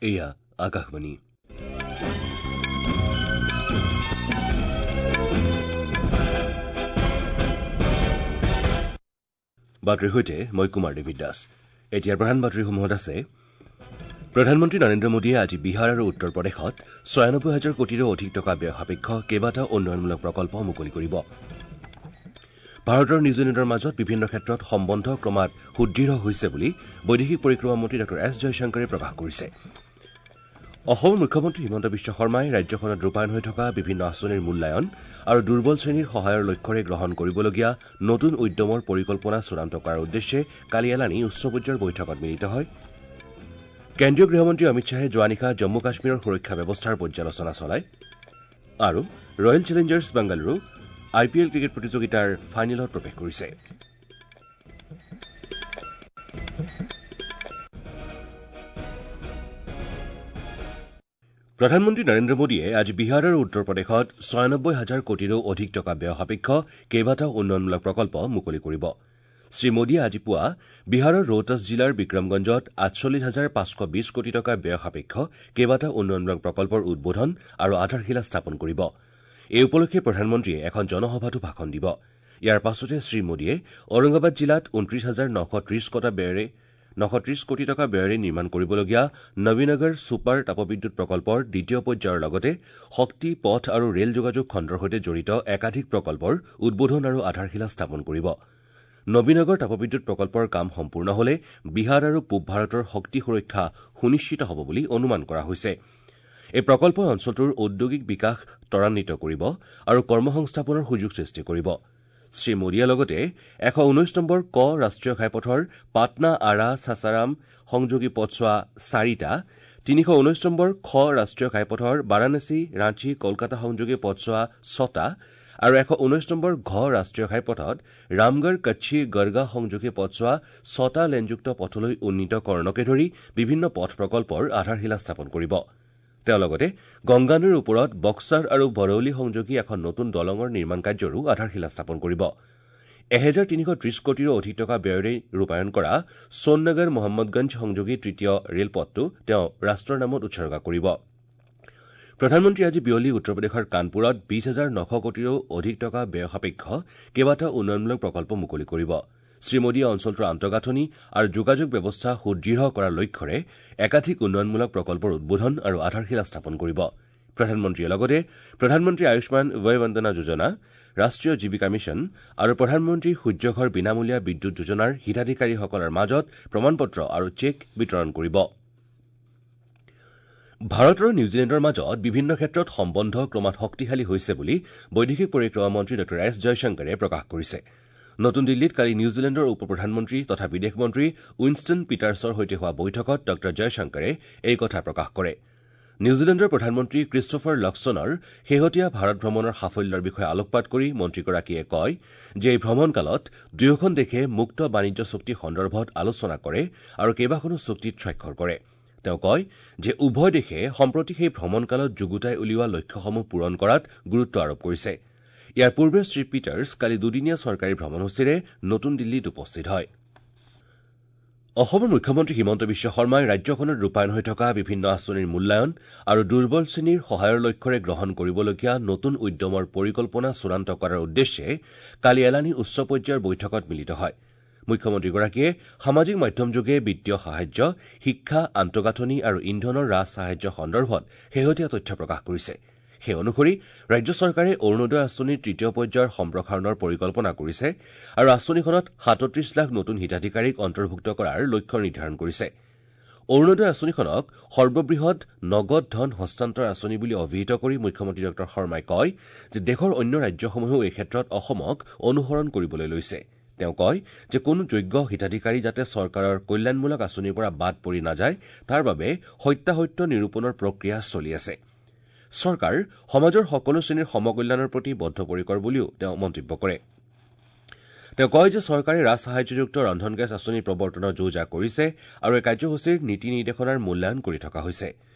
এয়া আকাশবাণী। বাতৰিৰ সৈতে মই কুমাৰ দেৱী দাস। এতিয়াৰ প্ৰধান বাতৰিসমূহত আছে: প্ৰধানমন্ত্ৰী নৰেন্দ্ৰ মোদীয়ে আজি বিহাৰ আৰু উত্তৰ প্ৰদেশত ৯৬ হাজাৰ কোটিৰো অধিক টকা ব্যয় সাপেক্ষ কেইবাটাও উন্নয়নমূলক প্ৰকল্প মুকলি কৰিব। ভাৰত আৰু নিউজিলেণ্ডৰ মাজত বিভিন্ন ক্ষেত্ৰত সম্বন্ধ ক্ৰমাৎ সুদৃঢ় হৈছে বুলি বৈদেশিক পৰিক্ৰমা মন্ত্ৰী ডাঃ এছ জয়শংকৰে প্ৰকাশ কৰিছে। অসমৰ মুখ্যমন্ত্ৰী হিমন্ত বিশ্ব শৰ্মাই ৰাজ্যখনত ৰূপায়ণ হৈ থকা বিভিন্ন আঁচনিৰ মূল্যায়ন আৰু দুৰ্বল শ্ৰেণীৰ সহায়ৰ লক্ষ্যৰে গ্ৰহণ কৰিবলগীয়া নতুন উদ্যমৰ পৰিকল্পনা চূড়ান্ত কৰাৰ উদ্দেশ্যে কালি এলানি উচ্চ পৰ্যায়ৰ বৈঠকত মিলিত হয়। কেন্দ্ৰীয় গৃহমন্ত্ৰী অমিত শ্বাহে যোৱা নিশা জম্মু কাশ্মীৰৰ সুৰক্ষা ব্যৱস্থাৰ পৰ্যালোচনা চলায়। আৰু Royal Challengers Bengaluru I P L cricket প্ৰতিযোগিতাৰ ফাইনেলত প্ৰৱেশ কৰিছে। প্ৰধানমন্ত্ৰী নৰেন্দ্ৰ মোদীয়ে আজি বিহাৰ আৰু উত্তৰ প্ৰদেশত ৯৬ হাজাৰ কোটিৰো অধিক টকা ব্যয় সাপেক্ষ কেইবাটাও উন্নয়নমূলক প্ৰকল্প মুকলি কৰিব। শ্ৰী মোদীয়ে আজি পুৱা বিহাৰৰ ৰোহতাছ জিলাৰ বিক্ৰমগঞ্জত ৪৮,৫২০ কোটি টকা ব্যয় সাপেক্ষ কেইবাটাও উন্নয়নমূলক প্ৰকল্পৰ উদ্বোধন আৰু আধাৰশিলা স্থাপন কৰিব। এই উপলক্ষে প্ৰধানমন্ত্ৰীয়ে এখন জনসভাতো ভাষণ দিব। ইয়াৰ পাছতে শ্ৰী মোদীয়ে ঔৰংগাবাদ জিলাত ২৯,৯৩০ কোটি টকা ব্যয়েৰে নিৰ্মাণ কৰিবলগীয়া নবীনগৰ ছুপাৰ তাপবিদ্যুৎ প্ৰকল্পৰ দ্বিতীয় পৰ্যায়ৰ লগতে শক্তি, পথ আৰু ৰেল যোগাযোগ খণ্ডৰ সৈতে জড়িত একাধিক প্ৰকল্পৰ উদ্বোধন আৰু আধাৰশিলা স্থাপন কৰিব। নবীনগৰ তাপবিদ্যুৎ প্ৰকল্পৰ কাম সম্পূৰ্ণ হলে বিহাৰ আৰু পূব ভাৰতৰ শক্তি সুৰক্ষা সুনিশ্চিত হ'ব বুলি অনুমান কৰা হৈছে। এই প্ৰকল্পই অঞ্চলটোৰ ঔদ্যোগিক বিকাশ ত্বৰান্বিত কৰিব আৰু কৰ্মসংস্থাপনৰ সুযোগ সৃষ্টি কৰিব। শ্ৰী মোদীয়ে লগতে ১১৯ নম্বৰ ক ৰাষ্ট্ৰীয় ঘাইপথৰ পাটনা আৰা চাচাৰাম সংযোগী পথছোৱা চাৰিটা, ৩১৯ নম্বৰ খ ৰাষ্ট্ৰীয় ঘাইপথৰ বাৰাণসী ৰাঁচী কলকাতা সংযোগী পথছোৱা ছটা আৰু ১১৯ নম্বৰ ঘ ৰাষ্ট্ৰীয় ঘাইপথত ৰামগড় কচ্ছি গড়গা সংযোগী পথছোৱা ছটা লেনযুক্ত পথলৈ উন্নীতকৰণকে ধৰি বিভিন্ন পথ প্ৰকল্পৰ আধাৰশিলা স্থাপন কৰিব। তেওঁ লগতে গংগা নৈৰ ওপৰত বক্সাৰ আৰু বৰৌলি সংযোগী এখন নতুন দলঙৰ নিৰ্মাণ কাৰ্যৰো আধাৰশিলা স্থাপন কৰিব। ১৩৩০ কোটিৰো অধিক টকা ব্যয়েৰে ৰূপায়ণ কৰা সোণনগৰ মহম্মদগঞ্জ সংযোগী তৃতীয় ৰেলপথটো তেওঁ ৰাষ্ট্ৰৰ নামত উৎসৰ্গা কৰিব। প্ৰধানমন্ত্ৰীয়ে আজি বিয়লি উত্তৰ প্ৰদেশৰ কানপুৰত ২০,৯০০ কোটিৰো অধিক টকা ব্যয় সাপেক্ষ কেইবাটাও উন্নয়নমূলক প্ৰকল্প মুকলি কৰিব। শ্ৰী মোদীয়ে অঞ্চলটোৰ আন্তঃগাঁথনি আৰু যোগাযোগ ব্যৱস্থা সুদৃঢ় কৰাৰ লক্ষ্যৰে একাধিক উন্নয়নমূলক প্ৰকল্পৰ উদ্বোধন আৰু আধাৰশিলা স্থাপন কৰিব। প্ৰধানমন্ত্ৰীয়ে লগতে প্ৰধানমন্ত্ৰী আয়ুষ্মান বয় বন্দনা যোজনা, ৰাষ্ট্ৰীয় জীৱিকা মিছন আৰু প্ৰধানমন্ত্ৰী সূৰ্যঘৰ বিনামূলীয়া বিদ্যুৎ যোজনাৰ হিতাধিকাৰীসকলৰ মাজত প্ৰমাণপত্ৰ আৰু চেক বিতৰণ কৰিব। ভাৰত আৰু নিউজিলেণ্ডৰ মাজত বিভিন্ন ক্ষেত্ৰত সম্বন্ধ ক্ৰমাৎ শক্তিশালী হৈছে বুলি বৈদেশিক পৰিক্ৰমা মন্ত্ৰী ডাঃ এছ জয়শংকৰে প্ৰকাশ কৰিছে। নতুন দিল্লীত কালি নিউজিলেণ্ডৰ উপ প্ৰধানমন্ত্ৰী তথা বিদেশ মন্ত্ৰী উইনষ্টন পিটাৰ্ছৰ সৈতে হোৱা বৈঠকত ডাঃ জয়শংকৰে এই কথা প্ৰকাশ কৰে। নিউজিলেণ্ডৰ প্ৰধানমন্ত্ৰী ক্ৰিষ্টোফাৰ লক্সনৰ শেহতীয়া ভাৰত ভ্ৰমণৰ সাফল্যৰ বিষয়ে আলোকপাত কৰি মন্ত্ৰীগৰাকীয়ে কয় যে এই ভ্ৰমণকালত দুয়োখন দেশে মুক্ত বাণিজ্য চুক্তি সন্দৰ্ভত আলোচনা কৰে আৰু কেইবাখনো চুক্তিত স্বাক্ষৰ কৰে। তেওঁ কয় যে উভয় দেশে সম্প্ৰতি সেই ভ্ৰমণকালত যুগুতাই উলিওৱা লক্ষ্যসমূহ পূৰণ কৰাত গুৰুত্ব আৰোপ কৰিছে। ইয়াৰ পূৰ্বে শ্ৰী পিটাৰ্ছ কালি দুদিনীয়া চৰকাৰী ভ্ৰমণসূচীৰে নতুন দিল্লীত উপস্থিত হয়। অসমৰ মুখ্যমন্ত্ৰী হিমন্ত বিশ্ব শৰ্মাই ৰাজ্যখনত ৰূপায়ণ হৈ থকা বিভিন্ন আঁচনিৰ মূল্যায়ন আৰু দুৰ্বল শ্ৰেণীৰ সহায়ৰ লক্ষ্যৰে গ্ৰহণ কৰিবলগীয়া নতুন উদ্যমৰ পৰিকল্পনা চূড়ান্ত কৰাৰ উদ্দেশ্যে কালি এলানি উচ্চ পৰ্যায়ৰ বৈঠকত মিলিত হয়। মুখ্যমন্ত্ৰীগৰাকীয়ে সামাজিক মাধ্যমযোগে বিত্তীয় সাহায্য, শিক্ষা, আন্তঃগাঁথনি আৰু ইন্ধনৰ ৰাজ সাহায্য সন্দৰ্ভত শেহতীয়া তথ্য প্ৰকাশ কৰিছে। সেই অনুসৰি ৰাজ্য চৰকাৰে অৰুণোদয় আঁচনিৰ তৃতীয় পৰ্যায়ৰ সম্প্ৰসাৰণৰ পৰিকল্পনা কৰিছে আৰু আঁচনিখনত ৩৭ লাখ নতুন হিতাধিকাৰীক অন্তৰ্ভুক্ত কৰাৰ লক্ষ্য নিৰ্ধাৰণ কৰিছে। অৰুণোদয় আঁচনিখনক সৰ্ববৃহৎ নগদ ধন হস্তান্তৰ আঁচনি বুলি অভিহিত কৰি মুখ্যমন্ত্ৰী ডাঃ শৰ্মাই কয় যে দেশৰ অন্য ৰাজ্যসমূহেও এই ক্ষেত্ৰত অসমক অনুসৰণ কৰিবলৈ লৈছে। তেওঁ কয় যে কোনো যোগ্য হিতাধিকাৰী যাতে চৰকাৰৰ কল্যাণমূলক আঁচনিৰ পৰা বাদ পৰি নাযায় তাৰ বাবে সত্যাসত্য নিৰূপণৰ প্ৰক্ৰিয়া চলি আছে। চৰকাৰ সমাজৰ সকলো শ্ৰেণীৰ সমকল্যাণৰ প্ৰতি বদ্ধপৰিকৰ বুলিও তেওঁ মন্তব্য কৰে। তেওঁ কয় যে চৰকাৰে ৰাজসাহায্যযুক্ত ৰন্ধন গেছ আঁচনি প্ৰৱৰ্তনৰ যো-জা কৰিছে আৰু এই কাৰ্যসূচীৰ নীতি নিৰ্দেশনাৰ মূল্যায়ন কৰি থকা হৈছে।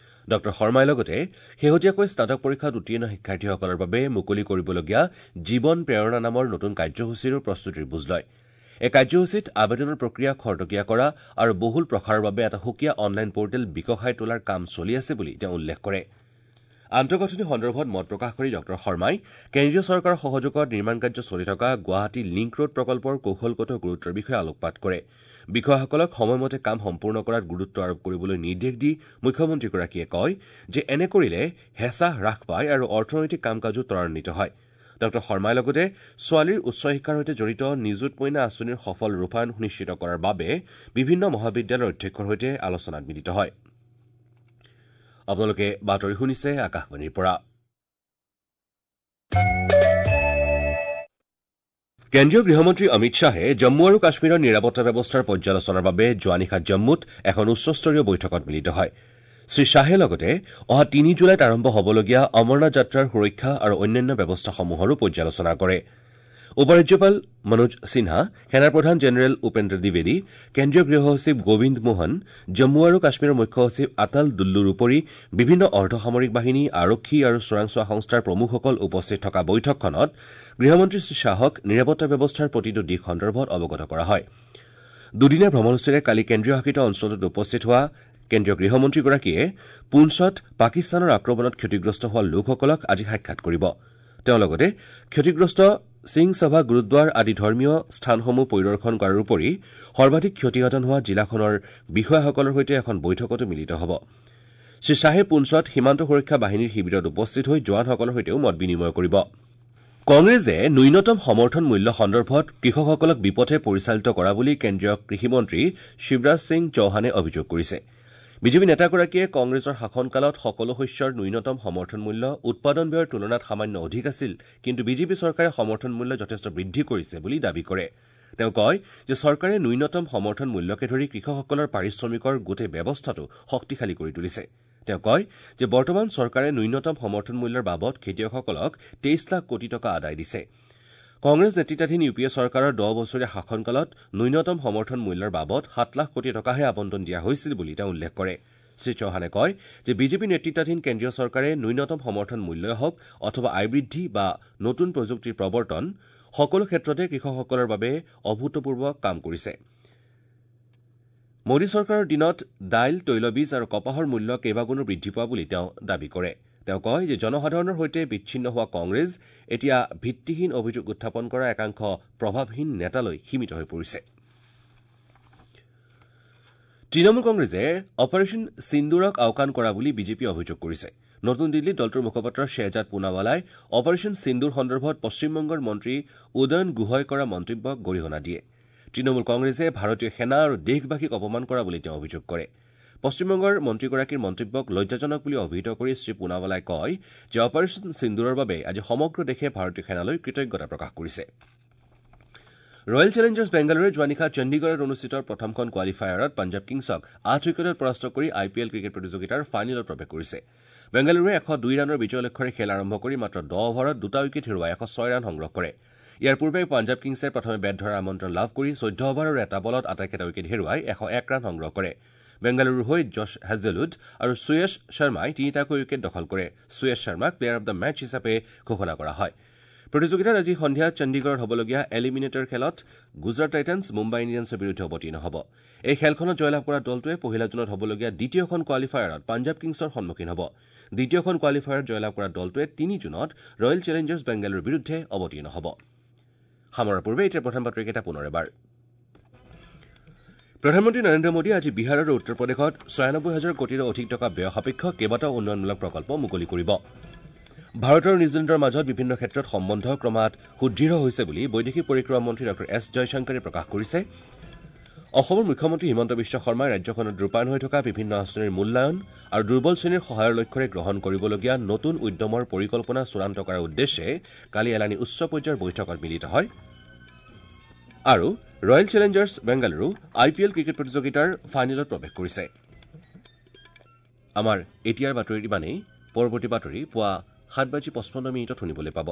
ডাঃ শৰ্মাই লগতে শেহতীয়াকৈ স্নাতক পৰীক্ষাত উত্তীৰ্ণ শিক্ষাৰ্থীসকলৰ বাবে মুকলি কৰিবলগীয়া জীৱন প্ৰেৰণা নামৰ নতুন কাৰ্যসূচীৰো প্ৰস্তুতিৰ বুজ লয়। এই কাৰ্যসূচীত আবেদনৰ প্ৰক্ৰিয়া খৰতকীয়া কৰা আৰু বহুল প্ৰসাৰৰ বাবে এটা সুকীয়া অনলাইন পৰ্টেল বিকশাই তোলাৰ কাম চলি আছে বুলি তেওঁ উল্লেখ কৰে। আন্তঃগাঁথনি সন্দৰ্ভত মত প্ৰকাশ কৰি ডঃ শৰ্মাই কেন্দ্ৰীয় চৰকাৰৰ সহযোগত নিৰ্মাণ কাৰ্য চলি থকা গুৱাহাটী লিংক ৰোড প্ৰকল্পৰ কৌশলগত গুৰুত্বৰ বিষয়ে আলোকপাত কৰে। বিষয়াসকলক সময়মতে কাম সম্পূৰ্ণ কৰাত গুৰুত্ব আৰোপ কৰিবলৈ নিৰ্দেশ দি মুখ্যমন্ত্ৰীগৰাকীয়ে কয় যে এনে কৰিলে হেঁচা হ্ৰাস পায় আৰু অৰ্থনৈতিক কাম কাজো ত্বৰান্বিত হয়। ডঃ শৰ্মাই লগতে ছোৱালীৰ উচ্চ শিক্ষাৰ সৈতে জড়িত নিযুত মইনা আঁচনিৰ সফল ৰূপায়ণ সুনিশ্চিত কৰাৰ বাবে বিভিন্ন মহাবিদ্যালয়ৰ অধ্যক্ষৰ সৈতে আলোচনাত মিলিত হয়। আপোনালোকে বাতৰি শুনিছে আকাশবাণীৰ পৰা। কেন্দ্ৰীয় গৃহমন্ত্ৰী অমিত শ্বাহে জম্মু আৰু কাশ্মীৰৰ নিৰাপত্তা ব্যৱস্থাৰ পৰ্যালোচনাৰ বাবে যোৱা নিশা জম্মুত এখন উচ্চস্তৰীয় বৈঠকত মিলিত হয়। শ্ৰী শ্বাহে লগতে অহা ৩ জুলাইত আৰম্ভ হ'বলগীয়া অমৰনাথ যাত্ৰাৰ সুৰক্ষা আৰু অন্যান্য ব্যৱস্থাসমূহৰো পৰ্যালোচনা কৰে। উপৰাজ্যপাল মনোজ সিনহা, সেনাপ্ৰধান জেনেৰেল উপেন্দ্ৰ দ্বিবেদী, কেন্দ্ৰীয় গৃহ সচিব গোবিন্দ মোহন, জম্মু আৰু কাশ্মীৰৰ মুখ্য সচিব আতাল দুল্লুৰ উপৰি বিভিন্ন অৰ্ধসামৰিক বাহিনী, আৰক্ষী আৰু চোৰাংচোৱা সংস্থাৰ প্ৰমুখসকল উপস্থিত থকা বৈঠকখনত গৃহমন্ত্ৰী শ্ৰী শ্বাহক নিৰাপত্তা ব্যৱস্থাৰ প্ৰতিটো দিশ সন্দৰ্ভত অৱগত কৰা হয়। দুদিনীয়া ভ্ৰমণসূচীৰে কালি কেন্দ্ৰীয় শাসিত অঞ্চলটোত উপস্থিত হোৱা কেন্দ্ৰীয় গৃহমন্ত্ৰীগৰাকীয়ে পুঞ্চত পাকিস্তানৰ আক্ৰমণত ক্ষতিগ্ৰস্ত হোৱা লোকসকলক আজি সাক্ষাৎ কৰিব। তেওঁ লগতে ক্ষতিগ্ৰস্ত সিং সভা, গুৰুদ্বাৰ আদি ধৰ্মীয় স্থানসমূহ পৰিদৰ্শন কৰাৰ উপৰি সৰ্বাধিক ক্ষতিসাধন হোৱা জিলাখনৰ বিষয়াসকলৰ সৈতে এখন বৈঠকতো মিলিত হ'ব। শ্ৰী শ্বাহে পুঞ্চত সীমান্ত সুৰক্ষা বাহিনীৰ শিবিৰত উপস্থিত হৈ জোৱানসকলৰ সৈতেও মত বিনিময় কৰিব। কংগ্ৰেছে ন্যূনতম সমৰ্থন মূল্য সন্দৰ্ভত কৃষকসকলক বিপথে পৰিচালিত কৰা বুলি কেন্দ্ৰীয় কৃষিমন্ত্ৰী শিৱৰাজ সিং চৌহানে অভিযোগ কৰিছে। বিজেপি নেতাগৰাকীয়ে কংগ্ৰেছৰ শাসনকালত সকলো শস্যৰ ন্যূনতম সমৰ্থন মূল্য উৎপাদন ব্যয়ৰ তুলনাত সামান্য অধিক আছিল, কিন্তু বিজেপি চৰকাৰে সমৰ্থন মূল্য যথেষ্ট বৃদ্ধি কৰিছে বুলি দাবী কৰে। তেওঁ কয় যে চৰকাৰে ন্যূনতম সমৰ্থন মূল্যকে ধৰি কৃষকসকলৰ পাৰিশ্ৰমিকৰ গোটেই ব্যৱস্থাটো শক্তিশালী কৰি তুলিছে। তেওঁ কয় যে বৰ্তমান চৰকাৰে ন্যূনতম সমৰ্থন মূল্যৰ বাবদ খেতিয়কসকলক ২৩ লাখ কোটি টকা আদায় দিছে। কংগ্ৰেছ নেতৃত্বাধীন ইউ পি এ চৰকাৰৰ ১০ বছৰীয়া শাসনকালত ন্যূনতম সমৰ্থন মূল্যৰ বাবদ ৭ লাখ কোটি টকাহে আবণ্টন দিয়া হৈছিল বুলি তেওঁ উল্লেখ কৰে। শ্ৰী চৌহানে কয় যে বিজেপি নেতৃত্বাধীন কেন্দ্ৰীয় চৰকাৰে ন্যূনতম সমৰ্থন মূল্যই হওক অথবা আয় বৃদ্ধি বা নতুন প্ৰযুক্তিৰ প্ৰৱৰ্তন, সকলো ক্ষেত্ৰতে কৃষকসকলৰ বাবে অভূতপূৰ্ব কাম কৰিছে। মোদী চৰকাৰৰ দিনত দাইল, তৈলবীজ আৰু কপাহৰ মূল্য কেইবাগুণো বৃদ্ধি পোৱা বুলি তেওঁ দাবী কৰে। তেওঁ কয় যে জনসাধাৰণৰ সৈতে বিচ্ছিন্ন হোৱা কংগ্ৰেছ এতিয়া ভিত্তিহীন অভিযোগ উত্থাপন কৰা একাংশ প্ৰভাৱহীন নেতালৈ সীমিত হৈ পৰিছে। তৃণমূল কংগ্ৰেছে অপাৰেশ্যন সিন্দুৰক আওকাণ কৰা বুলি বিজেপিয়ে অভিযোগ কৰিছে। নতুন দিল্লীত দলটোৰ মুখপাত্ৰ শ্বেহজাদ পুনাৱালাই অপাৰেশ্যন সিন্দুৰ সন্দৰ্ভত পশ্চিমবংগৰ মন্ত্ৰী উদয়ন গুহই কৰা মন্তব্যক গৰিহণা দিয়ে। তৃণমূল কংগ্ৰেছে ভাৰতীয় সেনা আৰু দেশবাসীক অপমান কৰা বুলি তেওঁ অভিযোগ কৰে। পশ্চিমবংগৰ মন্ত্ৰীগৰাকীৰ মন্তব্যক লজ্জাজনক বুলি অভিহিত কৰি শ্ৰী পুনাৱালাই কয় যে অপাৰেশ্যন সিন্দুৰৰ বাবে আজি সমগ্ৰ দেশে ভাৰতীয় সেনালৈ কৃতজ্ঞতা প্ৰকাশ কৰিছে। ৰয়েল চেলেঞ্জাৰ্ছ বেংগালুৰুৱে যোৱা নিশা চণ্ডীগড়ত অনুষ্ঠিত প্ৰথমখন কোৱালিফায়াৰত পঞ্জাৱ কিংছক ৮ উইকেটত পৰাস্ত কৰি আই পি এল ক্ৰিকেট প্ৰতিযোগিতাৰ ফাইনেলত প্ৰৱেশ কৰিছে। বেংগালুৰুৱে ১০২ ৰানৰ বিজয় লক্ষ্যৰে খেল আৰম্ভ কৰি মাত্ৰ ১০ অভাৰত ২টা উইকেট হেৰুৱাই ১০৬ ৰান সংগ্ৰহ কৰে। ইয়াৰ পূৰ্বে পঞ্জাৱ কিংছে প্ৰথমে বেট ধৰাৰ আমন্ত্ৰণ লাভ কৰি ১৪ অভাৰ আৰু এটা বলত আটাইকেইটা উইকেট হেৰুৱাই ১০১ ৰান সংগ্ৰহ কৰে। বেংগালুৰুৰ হৈ জছ হেজেলউড আৰু সুয়েশ শৰ্মাই ৩টাকৈ উইকেট দখল কৰে। সুয়েশ শৰ্মাক প্লেয়াৰ অব the match হিচাপে ঘোষণা কৰা হয়। প্ৰতিযোগিতাত আজি সন্ধিয়া চণ্ডীগড়ত হ'বলগীয়া এলিমিনেটৰ খেলত গুজৰাট টাইটানছ মুম্বাই ইণ্ডিয়ানছৰ বিৰুদ্ধে অৱতীৰ্ণ হ'ব। এই খেলখনত জয়লাভ কৰা দলটোৱে পহিলা জুনত হ'বলগীয়া দ্বিতীয়খন কোৱালিফায়াৰত পঞ্জাৱ কিংছৰ সন্মুখীন হ'ব। দ্বিতীয়খন কোৱালিফায়াৰত জয়লাভ কৰা দলটোৱে ৩ জুনত ৰয়েল চেলেঞ্জাৰ্ছ বেংগালুৰুৰ বিৰুদ্ধে অৱতীৰ্ণ হ'ব। সামৰাৰ পূৰ্বে এতিয়া প্ৰধান বাতৰিকেইটা পুনৰ এবাৰ। প্ৰধানমন্ত্ৰী নৰেন্দ্ৰ মোদীয়ে আজি বিহাৰ আৰু উত্তৰ প্ৰদেশত ৯৬ হাজাৰ কোটিৰো অধিক টকা ব্যয় সাপেক্ষ কেইবাটাও উন্নয়নমূলক প্ৰকল্প মুকলি কৰিব। ভাৰত আৰু নিউজিলেণ্ডৰ মাজত বিভিন্ন ক্ষেত্ৰত সম্বন্ধ ক্ৰমাৎ সুদৃঢ় হৈছে বুলি বৈদেশিক পৰিক্ৰমা মন্ত্ৰী ডঃ এছ জয়শংকৰে প্ৰকাশ কৰিছে। অসমৰ মুখ্যমন্ত্ৰী হিমন্ত বিশ্ব শৰ্মাই ৰাজ্যখনত ৰূপায়ণ হৈ থকা বিভিন্ন আঁচনিৰ মূল্যায়ন আৰু দুৰ্বল শ্ৰেণীৰ সহায়ৰ লক্ষ্যৰে গ্ৰহণ কৰিবলগীয়া নতুন উদ্যমৰ পৰিকল্পনা চূড়ান্ত কৰাৰ উদ্দেশ্যে কালি এলানি উচ্চ পৰ্যায়ৰ বৈঠকত মিলিত হয়। আৰু Royal Challengers Bengaluru I P L cricket প্ৰতিযোগিতাৰ ফাইনেলত প্ৰৱেশ কৰিছে। আমাৰ এতিয়াৰ বাতৰি ইমানেই। পৰৱৰ্তী বাতৰি পুৱা ৭:৫৫ শুনিবলৈ পাব।